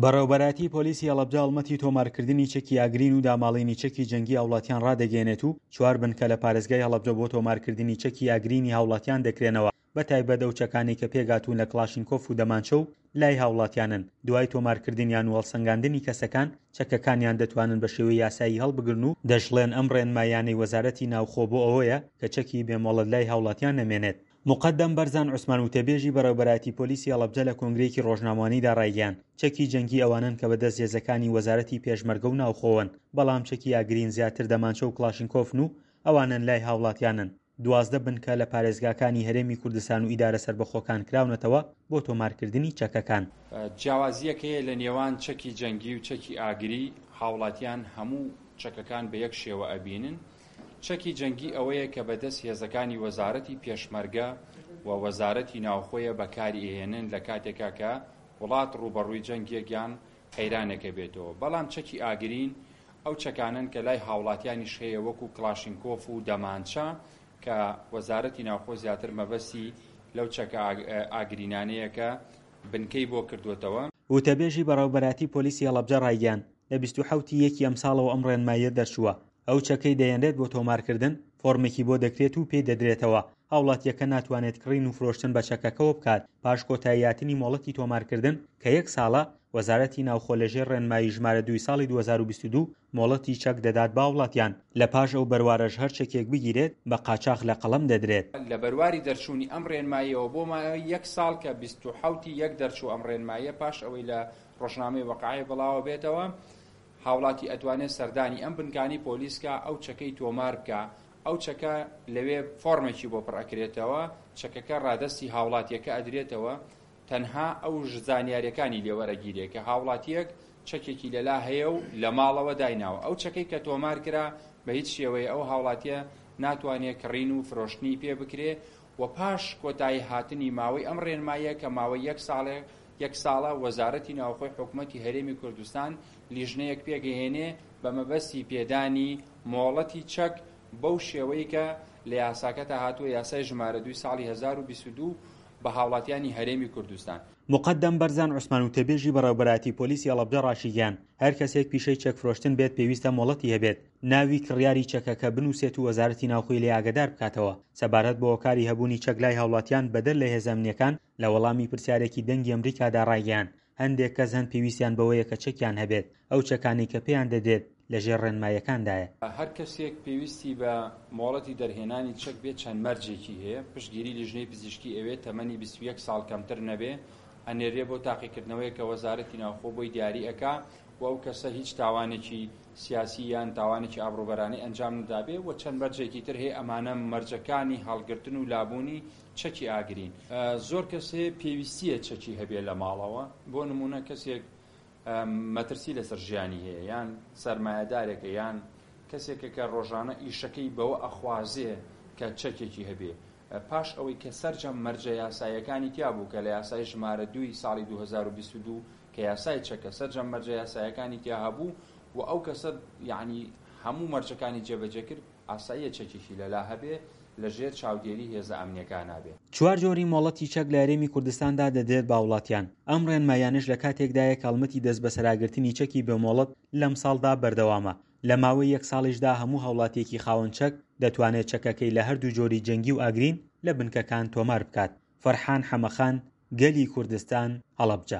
بەڕێوەبەرایەتی پۆلیسی هەڵەبجە هەڵمەتی تۆمارکردنی چەکی ئاگرین و داماڵینی چەکی جەنگی هاوڵاتیان ڕادەگەیەنێت و چوار بنکە لە پارێزگای هەڵەبجە بۆ تۆمارکردنی چەکی ئاگرینی هاوڵاتیان دەکرێنەوە بە تایبەت ئەو چەکانەی کە پێکهاتوون لە کڵاشینکۆف و دەمانچە و لای هاوڵاتیانن دوای تۆمارکردنیان و هەڵسەنگاندنی کەسەکان چەکەکانیان دەتوانن بە شێوەی یاسایی هەڵبگرن و دەشڵێن ئەم ڕێنماییانەی وەزارەتی ناوخۆ بۆ ئەوەیە کە چەکی بێ مۆڵەت لای هاوڵاتیان نەمێنێت. موقەدەم بەرزان عوسمان وتەبێژی بەڕێوبەرایەتی پۆلیسی هەڵەبجە لە کۆنگرەیەکی ڕۆژنامەوانیدا ڕایگەیاند، چەکی جەنگی ئەوانەن کە بەدەست هێزەکانی وەزارەتی پێشمەرگە و ناوخۆوەن، بەڵام چەکی ئاگرین زیاتر دەمانچە و کڵاشینکۆفن و ئەوانەن لای هاوڵاتیانن. 12 بنکە لە پارێزگاکانی هەرێمی کوردستان و ئیدارە سەربەخۆکان کراونەتەوە بۆ تۆمارکردنی چەکەکان. جیاوازییەک هەیە لە نێوان چەکی جەنگی و چەکی ئاگری، هاوڵاتیان هەموو چەکەکان بە یەک شێوە ئەبینن، چەکی جەنگی ئەوەیە کە بە دەست هێزەکانی وەزارەتی پێشمەرگە و وەزارەتی ناوخۆیە بەکاری ئەهێنن لە کاتێکا کە وڵات ڕووبەڕووی جەنگێک یان قەیرانێک ئەبێتەوە، بەڵام چەکی ئاگرین ئەو چەکانەن کە لای هاوڵاتیانیش هەیە وەکو کڵاشینکۆف و دەمانچە کە وەزارەتی ناوخۆ زیاتر مەبەستی لەو چەکە ئاگرینانەیە کە بنکەی بۆ کردووەتەوە. وتەبێژی بەڕێوبەرایەتی پۆلیسی هەڵەبجە ڕایگەیاند، لە 27 ی یەکی ئەمساڵەوە ئەم ڕێنماییە دەرچووە، ئەو چەکەی دەهێنرێت بۆ تۆمارکردن، فۆرمێکی بۆ دەکرێت و پێی دەدرێتەوە، هاوڵاتییەکە ناتوانێت کڕین و فرۆشتن بە چەکەکەوە بکات، پاش کۆتاییهاتنی مۆڵەتی تۆمارکردن کە یەک ساڵە، وەزارەتی ناوخۆ لەژێر ڕێنمایی ژمارە دووی ساڵی 2022 مۆڵەتی چەک دەدات بە هاوڵاتیان، لە پاش ئەو بەروارەش هەر چەکێک بگیرێت بە قاچاخ لە قەڵەم دەدرێت. لە بەرواری دەرچوونی ئەم ڕێنماییەوە بۆ ماوەی یەک ساڵ کە 27 ی یەک دەرچوو ئەم ڕێنماییە پاش ئەوەی لە ڕۆژنامەی وەقایع بڵاوەبێتەوە، هاوڵاتی ئەتوانێ سەردانی ئەم بنکانەی پۆلیس کا ئەو چەکەی تۆمار بکا ئەو چەکە لەوێ فۆرمێکی بۆ پڕ ئەکرێتەوە چەکەکە ڕادەستی هاوڵاتیەکە ئەدرێتەوە تەنها ئەو زانیاریەکانی لێ وەرەگیرێ کە هاوڵاتیەک چەکێکی لەلا هەیە و لە ماڵەوە دایناوە ئەو چەکەی کە تۆمار کرا بە هیچ شێوەیە ئەو هاوڵاتیە ناتوانێ کڕین و فرۆشتنی پێ بکرێ و پاش کۆتایی هاتنی ماوەی ئەم ڕێنماییە کە ماوەی یەک ساڵێ یەک ساڵە وەزارەتی ناوخۆی حکومەتی هەرێمی کوردستان لیژنەیەک پێکئەهێنێ بە مەبەستی پێدانی مۆڵەتی چەک بەو شێوەی کە لە یاساکەتا هاتووە یاسای ژمارە دووی ساڵی 1022 بە هاوڵاتیانی هەرێمی کوردستان. موقەدەم بەرزان عوسمان وتەبێژی بەڕێوەبەرایەتی پۆلیسی هەڵەبجە ڕاشیگەیاند، هەر کەسێک پیشەی چەک فرۆشتن بێت پێویستە مۆڵەتی هەبێت، ناوی کڕیاری چەکەکە بنووسێت و وەزارەتی ناوخۆی لێ ئاگەدار بکاتەوە سەبارەت بە هۆکاری هەبوونی چەک لای هاوڵاتیان بەدەر لە هێزە ئەمنییەکان لە وەڵامی پرسیارێکی دەنگی ئەمریکادا ڕایگەیاند، هەندێک کەس هەن پێویستیان بەوەیە کە چەکیان هەبێت، ئەو چەکانەی کە پێیان دەدرێت لەژێر ڕێنماییەکاندایە. هەر کەسێک پێویستی بە مۆڵەتی دەرهێنانی چەک بێت چەند مەرجێکی هەیە، پشتگیری لیژنەی پزیشکی ئەوێت، تەمەنی 21 ساڵ کەمتر نەبێ، ئەنێررێ بۆ تاقیکردنەوەیەک کە وەزارەتی ناوخۆ بۆی دیاری ئەکا و ئەو کەسە هیچ تاوانێکی سیاسی یان تاوانێکی ئابڕووبەرانەی ئەنجام نەدابێ و چەند مەرجێکی تر هەیە، ئەمانە مەرجەکانی هەڵگرتن و لابوونی چەکی ئاگرین. زۆر کەس هەیە پێویستیە چەکی هەبێ لە ماڵەوە، بۆ نموونە کەسێک مەترسی لەسەر ژیانی هەیە یان سەرمایەدارێکە یان کەسێکە کە ڕۆژانە ئیشەکەی بەوە ئەخوازێ کە چەکێکی هەبێ پاش ئەوەی کە سەرجەم مەرجە یاساییەکانی تیا بوو کە لە یاسای ژمارە دووی ساڵی 2022 کە یاسای چەکە سەرجەم مەرجە یاسایەکانی تیا هەبوو و ئەو کەسە یعنی هەموو مەرجەکانی جێبەجێ کرد ئاساییە چەکێکی لەلا هەبێ لە ژێر چاودێری هێزە ئەمنیەکانا بێ. چوار جۆری مۆڵەتی چەک لە هەرێمی کوردستاندا دەدرێت بە هاوڵاتیان، ئەم ڕێنماییانەش لە کاتێکدایە کە هەڵمەتی دەستبەسەراگرتنی چەکی بێ مۆڵەت لەمساڵدا بەردەوامە، لە ماوەی یەک ساڵیشدا هەموو هاوڵاتییەکی خاوەن چەک دەتوانێت چەکەکەی لە هەردوو جۆری جەنگی و ئاگرین لە بنکەکان تۆمار بکات. فەرحان حەمەخان، گەلی کوردستان، هەڵەبجە.